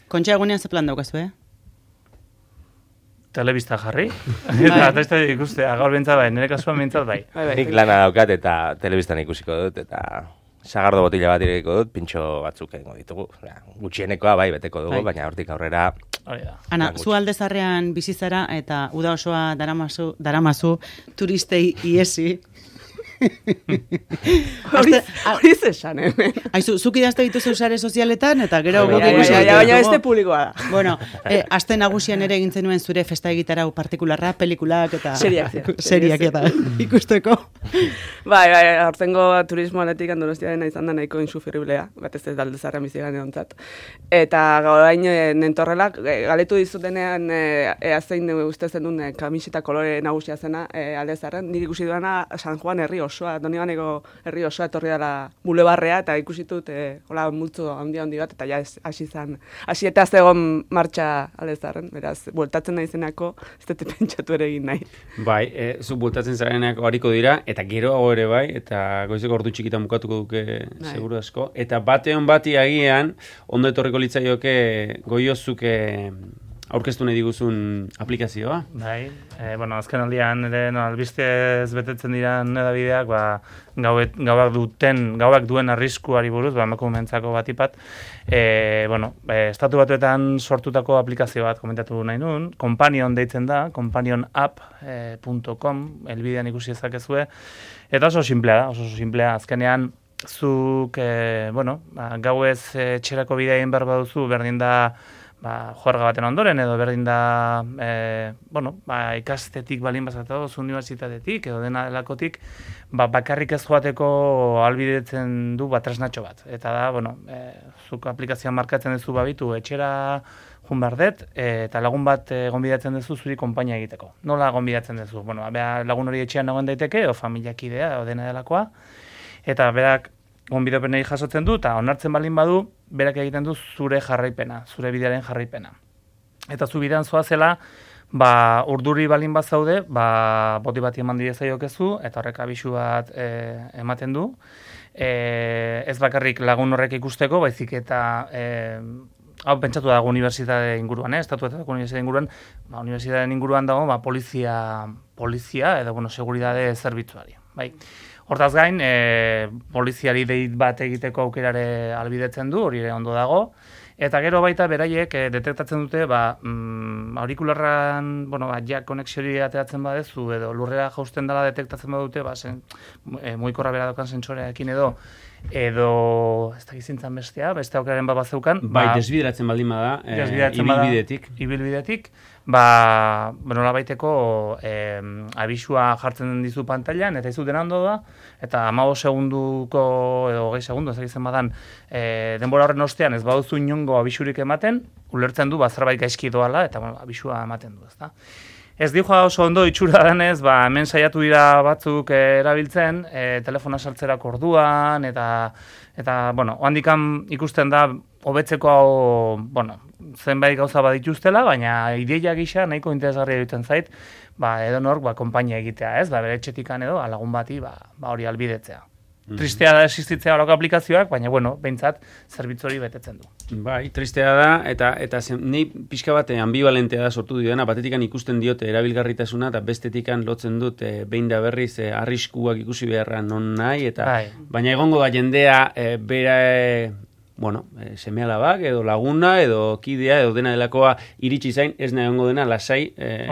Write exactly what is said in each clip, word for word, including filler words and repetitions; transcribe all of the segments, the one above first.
Kontxa egunean ze plan daukazu, eh? Telebista jarri, eta testa ikustea, gaur bintzat bai, nire kasuan bintzat bai. Nik lana daukat eta telebistan ikusiko dut, eta sagardo botila bat irekiko dut, pintxo batzuk egingo ditugu. Gutxienekoa bai, beteko dugu, baina hortik aurrera... Ana, zu aldezarrean bizizara eta uda osoa daramazu, daramazu turistei iesi. Hori zesan, hemen. Aizu, zuk idazte dituzu sare sozialetan, eta gero... Baina beste publikoa da. Bueno, aste nagusian ere egin zenuen zure festa egitarau partikularra, pelikulak eta... Seriak. Seriak eta ikusteko. Bai, bai, hortengo turismo aletik Donostia dena izan da nahiko insufriblea, bat ez ez daldezarrean bizigan edontzat. Eta gaurain nentorrela, galetu dizutenean ea zein uste zenun kamiseta kolore nagusia zena aldezarren, nik ikusi duena San Juan herri osoa, Donibaneko herri osoa etorri dela bulebarrea, eta ikusitut e, hola multzo handi handi bat, eta ja hasi zan, hasi eta zegoen martxa aldezarren, beraz, bueltatzen nahi zenako, ez dut pentsatu ere egin nahi. Bai, e, zu bueltatzen zarenako hariko dira, eta gero hau ere bai, eta goizeko ordu txikitan bukatuko duke seguru asko, eta batean bati agian, ondo etorriko litzaioke goiozuke aurkeztu nahi diguzun aplikazioa. Bai, e, bueno, azken aldian ere no, albistez betetzen diran edabideak, ba, gauet, gauak duten, gauak duen arriskuari buruz, ba, emakumentzako batipat, e, bueno, e, estatu batuetan sortutako aplikazio bat komentatu nahi nun, Companion deitzen da, companion app punto com, elbidean ikusi ezakezue, eta oso simplea da, oso simplea, azkenean, zuk, e, bueno, ba, gauez e, txerako bidea egin behar baduzu, berdin da, ba, juerga baten ondoren, edo berdin da, e, bueno, ba, ikastetik balin bazatuz, unibertsitatetik, edo dena delakotik, ba, bakarrik ez joateko albidetzen du ba, tresnatxo bat. Eta da, bueno, e, zuk aplikazioan markatzen duzu babitu, etxera jun behar dut, e, eta lagun bat e, gonbidatzen duzu zuri konpainia egiteko. Nola gonbidatzen duzu? Bueno, bea, lagun hori etxean nagoen daiteke, o familiakidea, o dena delakoa, eta berak gonbidapenei jasotzen du, eta onartzen balin badu, berak egiten du zure jarraipena, zure bidearen jarraipena. Eta zu bidean zoazela, ba, urduri balin bat zaude, ba, boti bat eman diezaiokezu, eta horrek abisu bat e, ematen du. E, ez bakarrik lagun horrek ikusteko, baizik eta... E, hau pentsatu dago unibertsitate inguruan, eh? Estatuetako unibertsitate inguruan, ba, unibertsitateen inguruan dago, ba, polizia, polizia, edo, bueno, seguridade zerbitzuari, bai. Hortaz gain, e, poliziari deit bat egiteko aukerare albidetzen du, hori ere ondo dago, eta gero baita beraiek e, detektatzen dute, ba, mm, aurikularran, bueno, ba, ja konexiori ateratzen badezu, edo lurrera jausten dela detektatzen badute, ba, zen, e, muikorra bera dokan sentsorearekin edo, edo, ez da gizintzan bestea, beste aukeraren bat bazeukan. Bai, ba, desbideratzen baldin bada, e, desbideratzen ibilbidetik. Bada, ibilbidetik, ba, nola baiteko eh, abisua jartzen dizu pantailan, eta izu dena ondo da, eta hamabost segunduko, edo hogei segundu, ez egiten badan, eh, denbora horren ostean ez baduzu inongo abisurik ematen, ulertzen du, ba, zerbait gaizki doala, eta bueno, abisua ematen du, ezta. Ez dijoa oso ondo itxura denez, ba, hemen saiatu dira batzuk eh, erabiltzen, eh, telefona sartzerako orduan, eta, eta bueno, handikan ikusten da, hobetzeko hau, bueno, zenbait gauza badituztela, baina ideia gisa nahiko interesgarria egiten zait, ba, edo nork, ba, konpainia egitea, ez, ba, bere etxetikan edo, lagun bati, ba, ba hori albidetzea. Mm-hmm. Tristea da existitzea horako aplikazioak, baina, bueno, behintzat, zerbitzu hori betetzen du. Bai, tristea da, eta eta zen, nei pixka bat ambivalentea da sortu diona, batetikan ikusten diote erabilgarritasuna, eta bestetikan lotzen dut, e, behin da berriz, e, arriskuak ikusi beharra non nahi, eta bai. Baina egongo da jendea, e, bera... E, bueno, e, seme-alabak, edo laguna, edo kidea, edo dena delakoa iritsi zain, ez nahi ongo dena, lasai, e,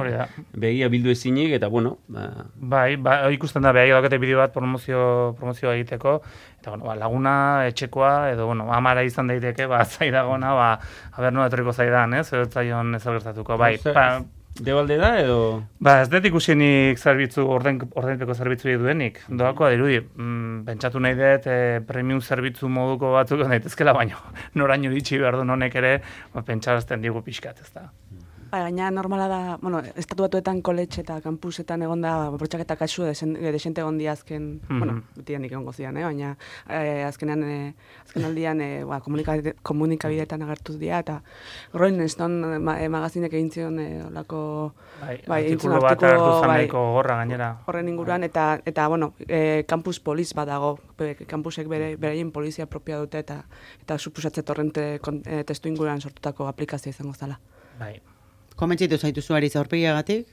begia bildu ezinik, eta bueno... Ba... Bai, ba, ikusten da, behagi daukete bideo bat promozio, promozioa egiteko, eta bueno, ba, laguna, etxekoa, edo bueno, amara izan daiteke, ba, zaidagona, ba, haber nola etorriko zaidan, ez, edo zaion ez gertatuko, bai, ba, debalde da, edo... Ba, ez dut ikusienik zerbitzu, orden, ordenpeko zerbitzu duenik. Doako, dirudi, mm, pentsatu nahi dut, e, premium zerbitzu moduko batzuk daitezkela, baino noraino ditxi behar du honek ere, ba, pentsarazten digu pixkat, ez da. Ba, gaina normala da, bueno, estatu batuetan koletxe eta kampusetan egon da bortxaketa kasu desen, desente egon di azken, mm-hmm. bueno, betian egongo zian, eh? baina eh, azkenean, eh, azken aldian eh, ba, komunikabide, komunikabideetan agertuz dira, eta Rolling Stone ma, eh, magazinek egin zion eh, olako bai, bai, artikulu bat hartu zaneko gorra gainera. Horren inguruan, eta, eta bueno, eh, campus poliz bat dago, campusek bere, bereien polizia propia dute, eta, eta supusatzet horren te, eh, testu inguruan sortutako aplikazioa izango zala. Bai. Komentzitu zaitu zuariz aurpegiagatik?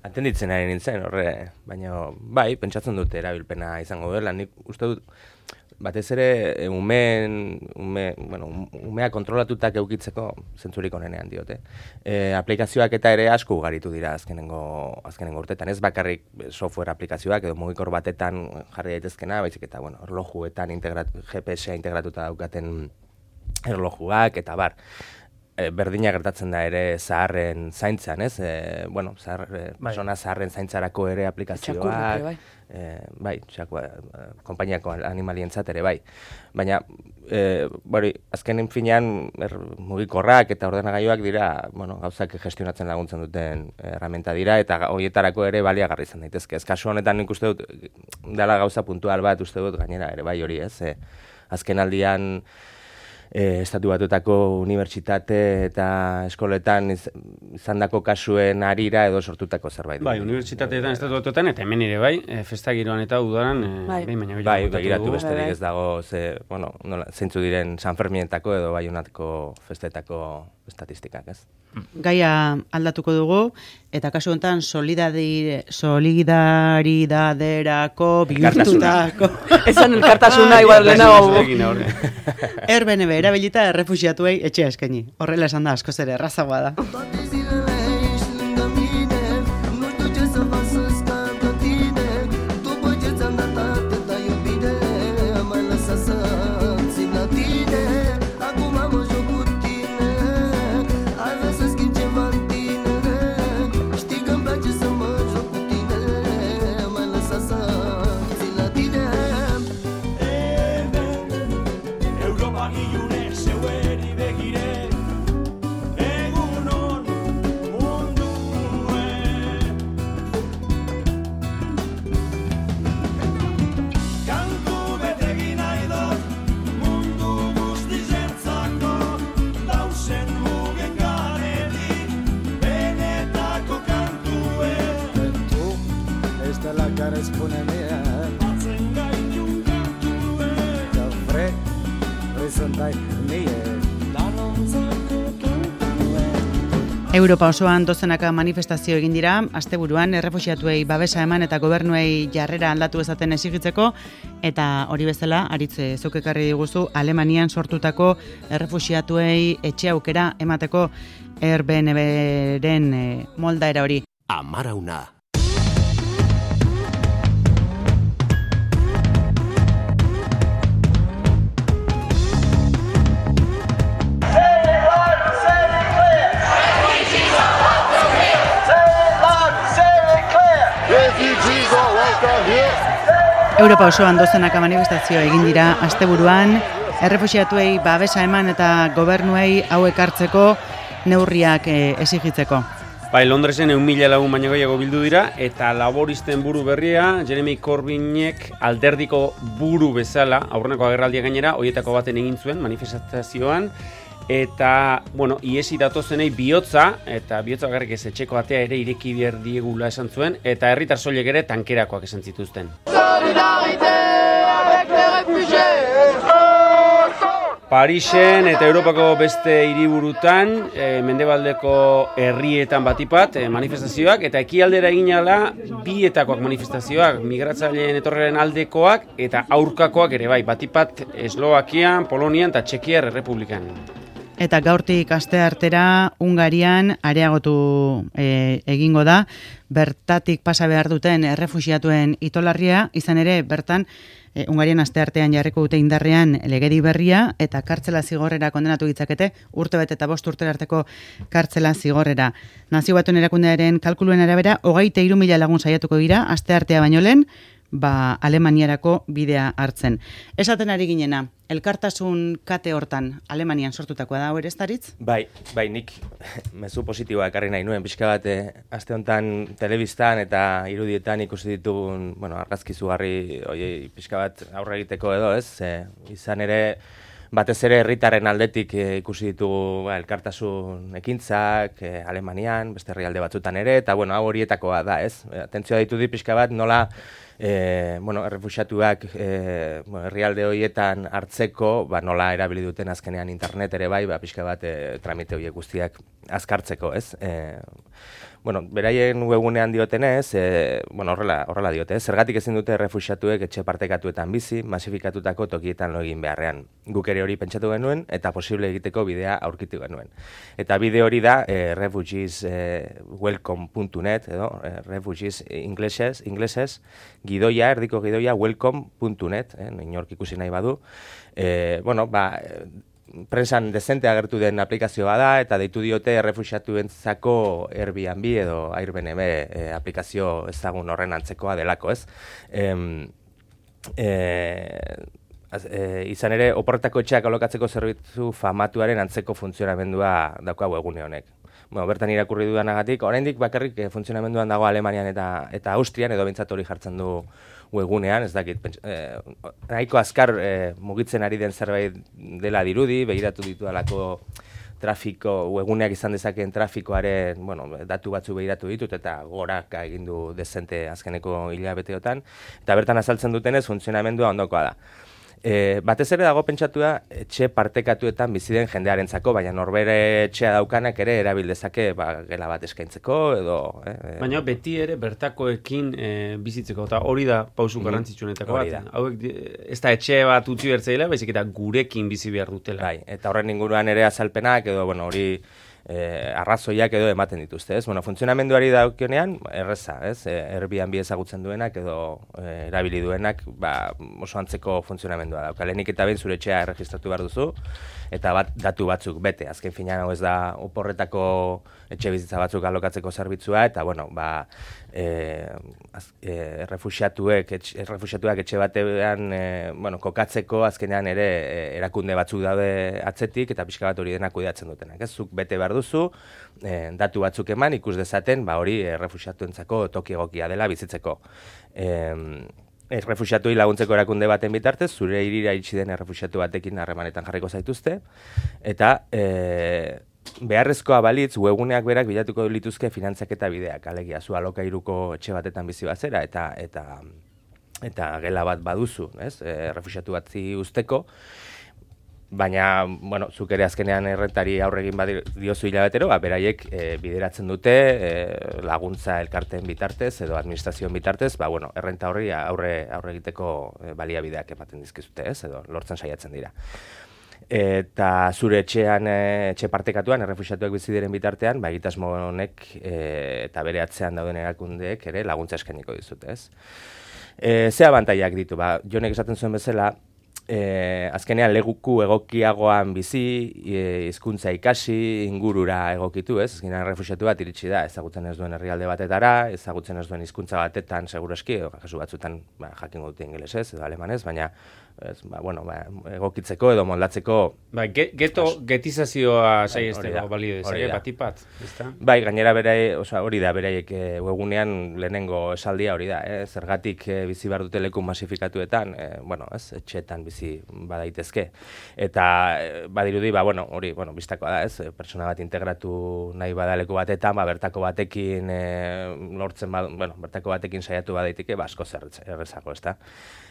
Atenditzen ari nintzen, horre, baina bai, pentsatzen dute erabilpena izango dela. Nik uste dut, batez ere, umeen, ume, bueno, umea kontrolatutak eukitzeko zentzurik onenean diote. E, aplikazioak eta ere asko ugaritu dira azkenengo, azkenengo urtetan. Ez bakarrik software aplikazioak edo mugikor batetan jarri daitezkena, baizik eta, bueno, erlojuetan integrat, G P S-a integratuta daukaten erlojuak eta bar. E, berdina gertatzen da ere zaharren zaintzan, ez? E, bueno, zahar, e, persona zaharren zaintzarako ere aplikazioak. Txakurrak, bai. E, bai, txakua, e, konpainiako animalientzat ere, bai. Baina, e, bori, azkenen finean er, mugikorrak eta ordenagailuak dira, bueno, gauzak gestionatzen laguntzen duten erramenta dira, eta horietarako ere baliagarri izan daitezke. Ez kasu honetan nik uste dut, dela gauza puntual bat uste dut gainera ere, bai hori ez. E, azken aldian, E, estatu batuetako unibertsitate eta eskoletan iz, izandako kasuen harira edo sortutako zerbait. Bai, unibertsitateetan estatu batuetan eta hemen ere bai, e, festa giroan eta udaran, e, bai, baina bai, begiratu besterik ez dago, ze, bueno, nola, zeintzu diren San Ferminetako edo Baionatko festetako estatistikak, ez? Gaia aldatuko dugu, eta kasu honetan solidaridaderako bihurtutako. Esan elkartasuna igual lehenago. R B N B erabilita errefuxiatuei etxea eskaini. Horrela esan da, askoz ere errazagoa da. Europa osoan dozenaka manifestazio egin dira, asteburuan errefuxiatuei babesa eman eta gobernuei jarrera aldatu ezaten exigitzeko, eta hori bezala, aritze zuk ekarri diguzu, Alemanian sortutako errefuxiatuei etxe aukera emateko R B N B-ren moldaera hori. Amarauna. Europa osoan dozenaka manifestazio egin dira asteburuan, errefuxiatuei babesa eman eta gobernuei hauek hartzeko neurriak e, exigitzeko. Bai, Londresen eun mila lagun baino gehiago bildu dira, eta laboristen buru berria, Jeremy Corbynek alderdiko buru bezala, aurreneko agerraldia gainera, horietako baten egin zuen manifestazioan, eta, bueno, iesi datozenei bihotza, eta bihotza bakarrik ez etxeko atea ere ireki behar diegula esan zuen, eta herritar soilek ere tankerakoak esan zituzten. Parisen eta Europako beste hiriburutan, e, mendebaldeko herrietan batipat e, manifestazioak, eta ekialdera egin ala bietakoak manifestazioak, migratzaileen etorreren aldekoak eta aurkakoak ere bai, batipat Eslovakian, Polonian eta Txekiar Errepublikan. Eta gaurtik aste artera Hungarian areagotu e, egingo da, bertatik pasa behar duten errefuxiatuen itolarria, izan ere bertan e, Hungarian aste artean jarriko dute indarrean legedi berria eta kartzela zigorrera kondenatu ditzakete, urtebete eta bost urtera arteko kartzela zigorrera. Nazio Batuen Erakundearen kalkuluen arabera, hogeita hiru mila lagun saiatuko dira aste artea baino lehen, ba, Alemaniarako bidea hartzen. Esaten ari ginena, elkartasun kate hortan Alemanian sortutakoa da, hori ez daritz? Bai, bai, nik mezu positiboa ekarri nahi nuen, pixka bat, aste honetan telebistan eta irudietan ikusi ditugun, bueno, argazki zugarri, oie, pixka bat aurre egiteko edo, ez? E, izan ere, batez ere herritarren aldetik e, ikusi ditugu ba, elkartasun ekintzak e, Alemanian, beste herrialde batzutan ere, eta bueno, hau horietakoa da, ez? Atentzioa ditu di pixka bat nola e, bueno, errefuxiatuak e, bueno, herrialde horietan hartzeko, ba, nola erabili duten azkenean internet ere bai, ba, pixka bat e, tramite horiek guztiak azkartzeko, ez? E, Bueno, beraien webgunean diotenez, e, bueno, horrela, horrela diote, zergatik ezin dute errefuxiatuek etxe partekatuetan bizi, masifikatutako tokietan lo egin beharrean. Guk ere hori pentsatu genuen eta posible egiteko bidea aurkitu genuen. Eta bide hori da e, refugees welcome puntu net edo e, refugees inglesez, inglesez, gidoia, erdiko gidoia welcome puntu net, eh, inork ikusi nahi badu. E, bueno, ba, prensan dezente agertu den aplikazioa da, eta deitu diote errefuxiatuentzako Airbnb edo Airbnb e, aplikazio ezagun horren antzekoa delako, ez? E, e, az, e, izan ere, oporretako etxeak alokatzeko zerbitzu famatuaren antzeko funtzionamendua dauka webgune honek. Bueno, bertan irakurri dudanagatik, oraindik bakarrik e, funtzionamenduan dago Alemanian eta eta Austrian, edo behintzat hori jartzen du webgunean, ez dakit, eh, nahiko azkar eh, mugitzen ari den zerbait dela dirudi, begiratu ditu alako trafiko, webguneak izan dezakeen trafikoaren, bueno, datu batzu begiratu ditut, eta goraka egin du dezente azkeneko hilabeteotan, eta bertan azaltzen dutenez funtzionamendua ondokoa da. E, batez ere dago pentsatua etxe partekatuetan bizi den jendearentzako, baina norbere etxea daukanak ere erabil dezake ba, gela bat eskaintzeko edo... Eh, baina beti ere bertakoekin e, bizitzeko, eta hori da pausu garrantzitsuenetako bat. Hauek ez da etxe bat utzi bertzeila, baizik eta gurekin bizi behar dutela. Bai, eta horren inguruan ere azalpenak edo, bueno, hori... Eh, arrazoiak edo ematen dituzte, ez? Bueno, funtzionamenduari daukionean, erreza, ez? E, Airbnb ezagutzen duenak edo e, erabili duenak, ba, oso antzeko funtzionamendua dauka. Lehenik eta behin zure etxea erregistratu behar duzu, eta bat, datu batzuk bete. Azken finean hau ez da oporretako etxe bizitza batzuk alokatzeko zerbitzua, eta, bueno, ba, e, az, e, errefuxiatuek, etxe, errefuxiatuak etxe batean, e, bueno, kokatzeko azkenean ere e, erakunde batzuk daude atzetik, eta pixka bat hori denak kudeatzen dutenak, ez? Zuk bete behar duzu, eh, datu batzuk eman, ikus dezaten, ba hori errefuxiatuentzako toki egokia dela bizitzeko. Eh, errefuxiatuei laguntzeko erakunde baten bitartez, zure hirira itxi den errefuxiatu batekin harremanetan jarriko zaituzte, eta eh, beharrezkoa balitz, webguneak berak bilatuko lituzke finantzaketa bideak, alegia, zu alokairuko etxe batetan bizi bazera, eta eta eta gela bat baduzu, ez? Errefuxiatu batzi usteko, baina, bueno, zuk ere azkenean errentari aurregin badiozu hilabetero, ba, beraiek e, bideratzen dute e, laguntza elkarteen bitartez edo administrazioen bitartez, ba, bueno, errenta horri aurre, aurre egiteko e, baliabideak ematen dizkizute, ez, edo lortzen saiatzen dira. Eta zure etxean, e, etxe partekatuan, errefuxiatuak bizi diren bitartean, ba, egitasmo honek e, eta bere atzean dauden erakundeek ere laguntza eskainiko dizute, ez. E, ze abantaiak ditu, ba, Jonek esaten zuen bezala, E, azkenean leguku egokiagoan bizi, e, hizkuntza ikasi, ingurura egokitu, ez? Azkenean errefuxiatu bat iritsi da, ezagutzen ez duen herrialde batetara, ezagutzen ez duen hizkuntza batetan segurazki, kasu batzutan ba, jakingo dute ingelesez edo alemanez, baina ez, ba, bueno, ba, egokitzeko edo moldatzeko... Ba, geto getizazioa saiesteko balio dezake, batipat, ezta? Bai, gainera berai, oza, hori da, beraiek e, webgunean lehenengo esaldia hori da, eh? Zergatik e, bizi behar dute leku masifikatuetan, e, bueno, ez, etxeetan bizi badaitezke. Eta e, badirudi, ba, bueno, hori, bueno, biztakoa da, ez, pertsona bat integratu nahi badaleku batetan, ba, bertako batekin e, lortzen, ba, bueno, bertako batekin saiatu badaiteke, ba, asko errezago, ezta?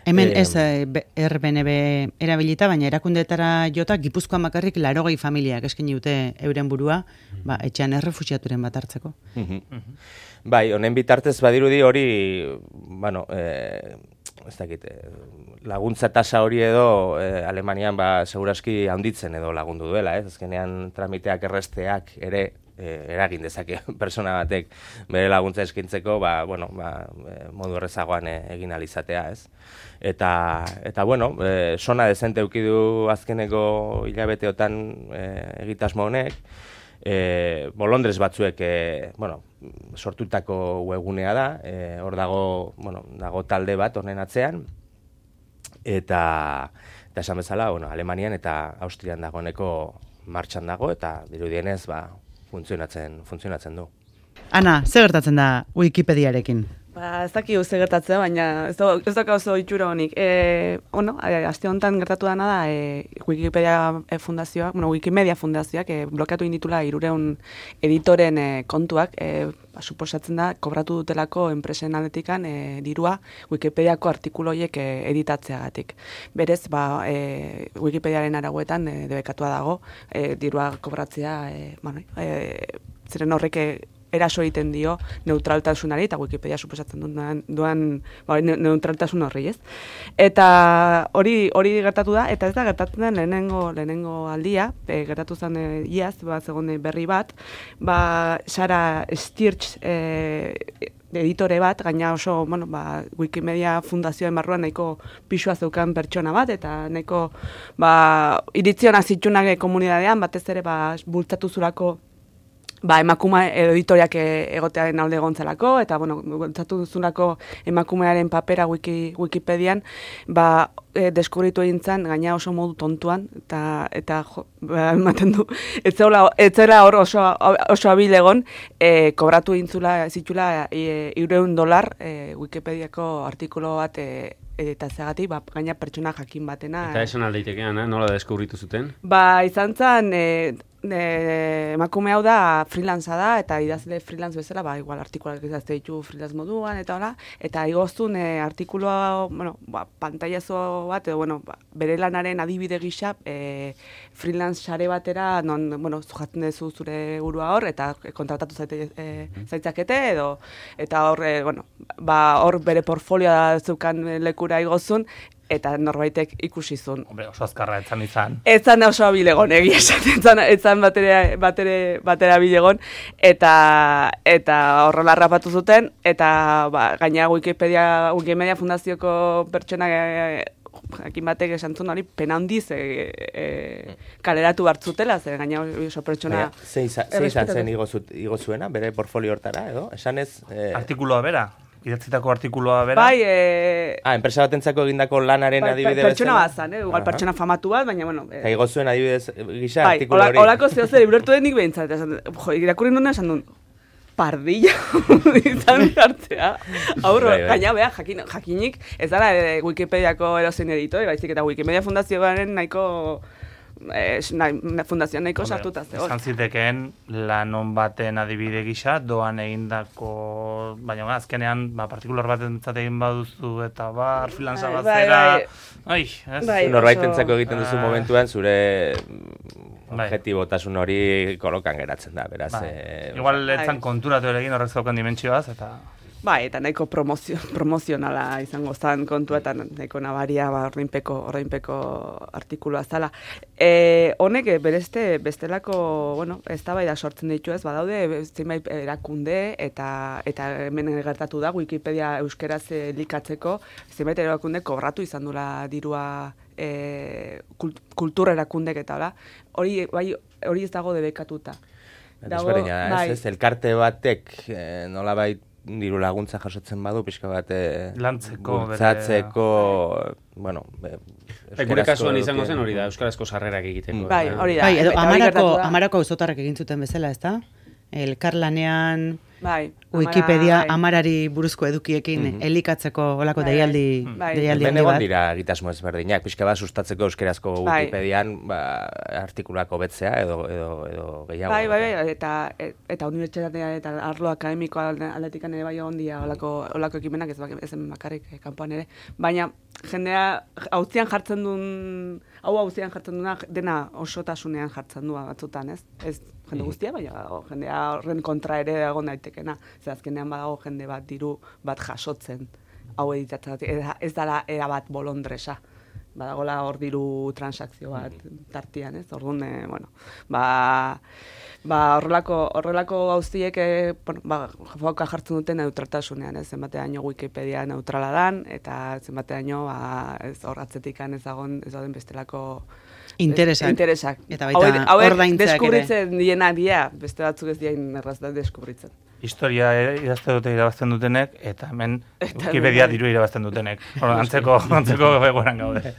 Hemen ez Airbnb erabilita, baina erakundeetara jota Gipuzkoan bakarrik larogei familiak eskaini dute euren burua, ba, etxean errefuxiaturen bat hartzeko. Bai, honen bitartez badirudi hori, bueno, eh, ez dakit, laguntza tasa hori edo eh, Alemanian ba, seguraski handitzen edo lagundu duela, ez? Azkenean tramiteak erresteak ere eragin dezake persona batek bere laguntza eskintzeko, ba, bueno, ba, modu errezagoan egin alizatea, ez? Eta, eta bueno, e, sona dezente eukidu azkeneko hilabeteotan e, egitasmo honek, E, bolondrez batzuek, e, bueno, sortutako webgunea da, e, hor dago, bueno, dago talde bat honen atzean, eta, eta esan bezala, bueno, Alemanian eta Austrian dagoeneko martxan dago, eta dirudienez, ba, funtzionatzen, funtzionatzen du. Ana, zer gertatzen da Wikipediarekin? Ba, ez daki uste gertatzea, baina ez, do, ez doka oso itxura honik. E, ono, aste honetan gertatu dana da, e, Wikipedia fundazioak, bueno, Wikimedia fundazioak e, blokeatu inditula hirureun editoren e, kontuak, e, ba, suposatzen da, kobratu dutelako enpresen aldetikan e, dirua Wikipediako artikuloiek e, editatzeagatik. Berez, ba, e, Wikipediaren arauetan e, debekatua dago, e, dirua kobratzea, e, bueno, e, ziren horrek e, eraso egiten dio neutraltasunari, eta Wikipedia suposatzen duan, duan ba, neutraltasun horri, ez? Eta hori hori gertatu da, eta ez da gertatzen den lehenengo, lehenengo aldia, e, gertatu zen e, iaz, ba, zegoen berri bat, ba, Sara Stirch e, editore bat, gaina oso, bueno, ba, Wikimedia fundazioen barruan nahiko pisua zeukan pertsona bat, eta nahiko, ba, iritziona zitsunak komunidadean, batez ere, ba, bultzatu zurako ba, emakume editoriak egotearen alde gontzelako, eta, bueno, gontzatu duzunako emakumearen papera wiki, Wikipedian, ba, e, deskubritu egin zen, gaina oso modu tontuan, eta, eta jo, ba, ematen du, ez zela hor oso, oso abil egon, e, kobratu egin zula, zitula, e, irureun dolar e, Wikipediako artikulo bat e, editatzeagatik, ba, gaina pertsona jakin batena. Eta esan aldeitekean, eh? Nola deskubritu zuten? Ba, izan zen, e, E, emakume hau da freelanza da, eta idazle freelance bezala, ba, igual artikuloak idazte ditu freelance moduan, eta hola, eta igoztun e, artikuloa, bueno, ba, pantailazo bat, edo, bueno, ba, bere lanaren adibide gisa, e, freelance sare batera, non, bueno, zujatzen duzu zure burua hor, eta kontratatu zaite, e, zaitzakete, edo, eta hor, e, bueno, ba, hor bere portfolioa zeukan lekura igozun, eta norbaitek ikusi zuen. Hombre, oso azkarra etzan izan. Etzan oso abilegon, egia esan, etzan batere, batere, batera abilegon, eta, eta horrela rapatu zuten, eta ba, gaina Wikipedia, Wikimedia fundazioko pertsona jakin batek esan zuen hori pena handiz e, e, kaleratu hartzutela, zer gaina oso pertsona... Ze izan zen igo zuena, bere portfolio hortara, edo? Esan ez... E... Artikuloa bera? Idatzitako artikuloa bera? Bai, e... Ah, enpresa batentzako egindako lanaren bai, adibide bezala? Pertsona bat zan, eh? Igual pertsona famatu bat, baina, bueno... Eta igo zuen adibidez gisa bai, artikulo hori? Bai, olako zeo zer, iburertu denik behintzat. Jo, irakurri nuen esan duen, pardilla izan hartzea. Aurro, bai, bai. Gaina, beha, jakin, jakinik, ez dara e, Wikipediako erozein editore, baizik eta Wikimedia fundazioaren nahiko... Eh, na, fundazioan nahiko sartuta zegoen. Izan zitekeen lanon baten adibide gisa, doan egindako, baina azkenean, ba, partikular bat entzat egin baduzu eta bar, freelanza bat zera... Ai, ez? Bai, norbaitentzako egiten duzu momentuan, zure objetibotasun hori kolokan geratzen da, beraz... Bai. Eh, Igual etzan konturatu ere egin horrek zaukan dimentsioaz, eta... Bai, eta nahiko promozio, promozionala izango zen kontua, eta nahiko nabaria ba, ordainpeko, ordainpeko artikuloa zala. E, honek, bereste, bestelako, bueno, ez da bai da sortzen ditu ez, badaude, zenbait erakunde, eta eta hemen gertatu da, Wikipedia euskeraz elikatzeko, zenbait erakunde kobratu izan dula dirua e, kultura erakundek eta hola. Hori, bai, hori ez dago debekatuta. Dago, bai. Ez, ez, elkarte batek eh, nola bai diru laguntza jasotzen badu, pixka bat lantzeko, bultzatzeko, bueno... Gure kasuan izango zen hori da, euskarazko sarrerak egiteko. Bai, hori da. Bai, edo amarako, amarako auzotarrak egin zuten bezala, ez da? Elkarlanean... Bai, Wikipedia amara, bai. amarari buruzko edukiekin mm -hmm. elikatzeko olako bai, deialdi, bai. deialdi handi bat. Dira egitasmo ezberdinak, pixka bat sustatzeko euskerazko bai. Wikipedian ba, artikulako betzea edo, edo, edo gehiago. Bai, bai, bai, eta, eta unibertsitatea eta arlo akademiko aldetikan ere bai egon dira olako, olako ekimenak ez, ez bakarrik kanpoan ere. Baina jendea hauzian jartzen duen, hau hauzian jartzen duena dena osotasunean jartzen du batzutan, ez? Ez jende guztia, baina jendea horren kontra ere egon daitekena. Zer azkenean badago jende bat diru bat jasotzen hau editatzen. Ez dala era bat bolondresa. Badagola hor diru transakzio bat tartian, ez? Orduan, bueno, ba... Ba, horrelako, horrelako gauziek eh, bueno, ba, foka jartzen duten neutraltasunean, ez zenbateaino Wikipedia neutrala dan, eta zenbateaino ba, ez hor atzetikan ez dagoen ez dauden bestelako Interesak. Interesak. Eta baita hauek ordaintzeak ere. deskubritzen diena dia, beste batzuk ez diain erraz da deskubritzen. Historia idazte dute irabazten dutenek, eta hemen Eta Wikipedia hemen- diru irabazten dutenek. Bueno, antzeko, antzeko egoeran gaude.